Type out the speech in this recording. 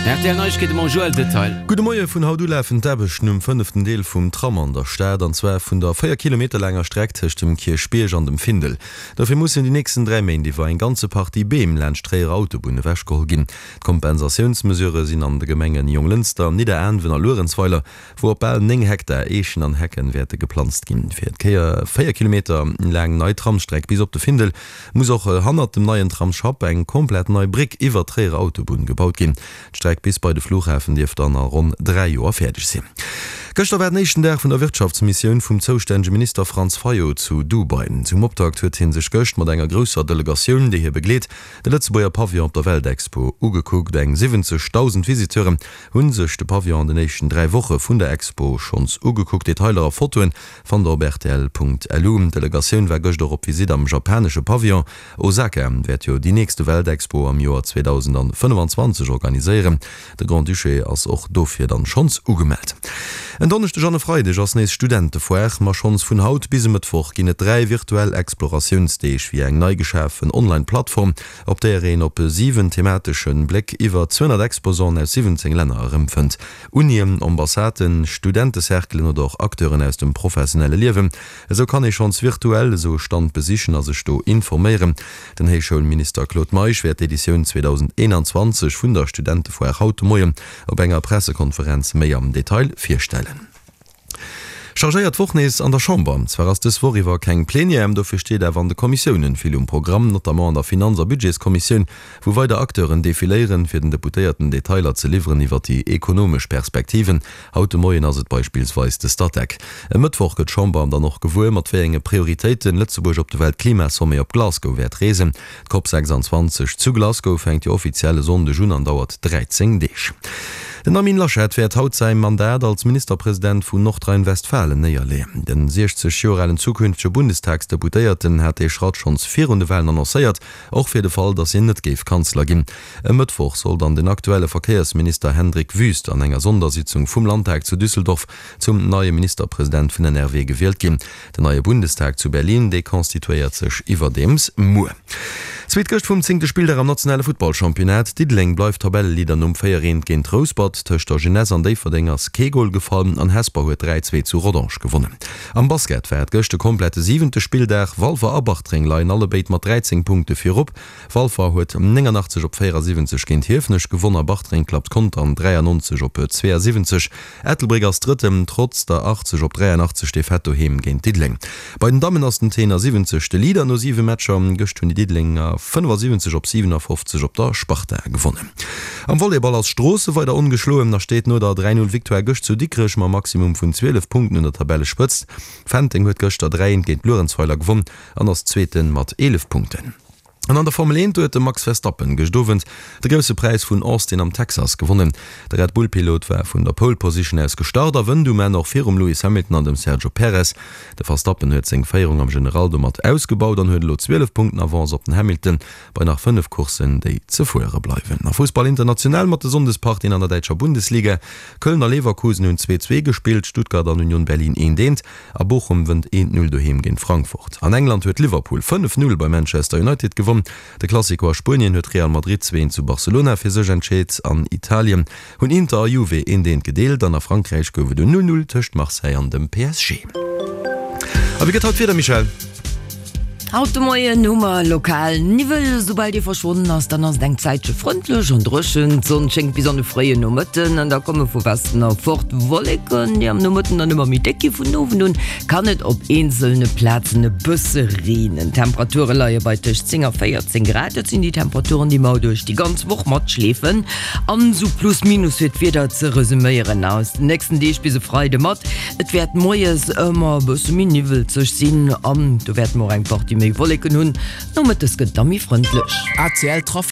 Rtl Neiegkeete mam Joël Detail. Gudde Moie, Vun haut u lafen d'Aarbechten um fënneften Deel vum Tram an der Stad, an zwar vun der 4 Kilometer laanger Streck tëscht dem Kierchbierg an dem Findel. Dofir mussen déi nächsten 3 Méint iwwer eng ganze Partie Beem laanscht d'Tréierer Autobunn ewechgeholl ginn. D'Kompensatiounsmesurë sinn an de Gemengen Jonglënster, Nidderaanwen a Luerenzweiler, wou op bal 9 Hektar Eechen an Hecken wäerte geplanzt ginn. Fir d'Kéier 4 Kilometer laang nei Tramsstreck bis op de Findel muss och hannert dem neien Tramsschapp eng komplett nei Bréck iwwert d'Tréierer Autobunn gebaut ginn. D'Streck bis bei de Flughafen dierft dann a ronn 3 Joer fäerdeg sinn. Gëschter war den éischten Dag vun der Wirtschaftsmissioun vum zoustännege Minister Franz Fayot zu Dubai. Zum Optakt huet hie sech gëscht mat enger grousser Delegatioun, déi hie begleet, de Lëtzebuerger Pavillon op der Weltexpo ugekuckt. Eng 70.000 Visiteuren Hunn sech de Pavillon an den éischten 3 Woche vun der Expo schonns ugekuckt. Detailer a Fotoen fannt der op rtl.lu. D'Delegatioun war gëscht och op Visitt am japanesche Pavillon. Osaka wäert jo déi nächste Weltexpo am Joer 2025 organiséieren. De Grand-Duché ass och dofir dann schonns ugemellt. En Donneschdeg an e Freideg ass nees Studentefoire, ma schonns vun haut bis e Mëttwoch ginn et 3 virtuell Exploratiounsdeeg via eng nei geschafen Online-Plattform. op där een op 7 thematesche Bléck iwwer 200 Exposanten aus 17 Länner erëmfënnt. Unien, Ambassaden, Studentecerclen oder och Acteuren aus dem professionelle Liewen. Esou kann ee schonns virtuell esou e Stand besichen a sech do informéieren. Den Héichschoulminister Claude Meisch wäert d'Editioun 2021 vun der Studentefoire haut de Moien op enger Pressekonferenz méi am Detail virstellen. Chargéiert Woch nees an der Chamber. Zwar ass dës Woch iwwer keng Plenière, dofir steet awer an de Kommissiounen vill um Programm, notamment an der Finanz a Budgetskommissioun, wou weider Acteuren defiléieren, fir den Deputéierten Detailer ze liwweren iwwer déi ekonomesch Perspektiven. Haut de Moien ass et beispillsweis de Statec. E Mëttwoch gëtt d'Chamber dann och gewuer, mat wéi enge Prioritéiten Lëtzebuerg op de Weltklimasommet op Glasgow wäert reesen. D'Cop 26 zu Glasgow fänkt jo offiziell e Sonndeg un an dauert 13 Deeg. Den Armin Laschet wäert haut säi Mandat als Ministerpresident vun Nordrhein-Westfalen néierleeën. Den 60 Joer alen zukünftege Bundestagsdeputéierten hat dee Schratt schonns virun de Walen annoncéiert, och fir de Fall, datt hien net géif Kanzler ginn. E Mëttwoch soll dann den aktuelle Verkéiersminister Hendrik Wüst an enger Sondersitzung vum Landtag zu Düsseldorf zum neie Ministerpresident vun NRW gewielt ginn. Den neie Bundestag zu Berlin, dee constituéiert sech iwwerdeems muer. Zweet Gëscht vum zéngte Spilldag am nationale Futtballchampionnat. Diddeleng bleift Tabelleleader nom 4 Eent géint Rouspert. Tëscht der Jeunesse an Déifferdeng ass kee Gol gefall an Hesper huet 3 2 zu Rodange gewonnen. Am Basket war et gëscht de komplette siwente Spilldag. Walfer a Bartreng leien allebéid mat 13 Punkte virop. Walfer huet 89 op 74 géint Hiefenech gewonn a Bartreng klappt Contern 93 op 72. Ettelbréck ass Drëtten, trotz der 80 op 83 Defaite doheem géint Diddeleng. Bei den Dammen ass den Tenor 70 de Leader no 7 Matcher. Gëscht hunn déi Diddelenger 75 op 57 op der Sparta gewonnen. Am Volleyball ass Stroossen weider ongeschloen a steet no der 3, 0 Victoire gëscht zu Dikrech mam Maximum vun 12 Punkten un der Tabellespëtzt. Fenteng huet gëschter 3, 1 géint Luerenzweiler gewonn an ass Zweeten mat 11 Punkten. An an der Formel 1 huet de Max Verstappen gëscht Owend de Grousse Präis vun Austin am Texas gewonnen. De Red Bull-Pilot war vun der Pole Position aus gestart a wënnt um Enn och virum Lewis Hamilton an dem Sergio Perez. De Verstappen huet seng Féierung am General domat ausgebaut an huet elo 12 Punkten Avance op den Hamilton bei nach 5 Courssen, déi ze fuere bleiwen. A Fussball international mat de Sonndespartien an der däitscher Bundesliga, Köln a Leverkusen hunn 2, 2 gespillt, Stuttgart an Union Berlin 1, 1. A Bochum wënnt 1, 0 doheem géint Frankfurt. An England huet Liverpool 5, 0 bei Manchester United gewonn. De Clasico a Spuenien huet Real Madrid 2, 1 zu Barcelona fir sech entscheet. An Italien hunn Inter a Juve 1, 1 gedeelt an a Frankräich gouf et en 0, 0 tëscht Marseille an dem PSG. A wéi gëtt haut d'Wieder, Michèle? Haut de Moien hu mer lokal Niwwel. Soubal dee verschwonnen ass, dann ass et eng Zäitche frëndlech an dréchen. D'Sonn schéngt bis an de fréien Nomëtten an da komme vu Westen erfort Wolleken, déi am Nomëtten dann ëmmer méi déck gi. Vun Owend un kann et op eenzelne Plazen e bësse reenen. D'Temperature leie bei tëscht 10 a 14 Grad. Dat sinn déi Temperaturen, déi mer duerch déi ganz Woch matschleefen. An esou plus minus fir d'Wieder ze resuméieren aus den nächsten Deeg bis e Freide mat. Et wäert moies ëmmer e bësse méi niwwelzeg sinn an do wäerte mer och eng Partie méi Wolleken hunn. Nomëttes gëtt et da méi frëndlech. ACL Trafic.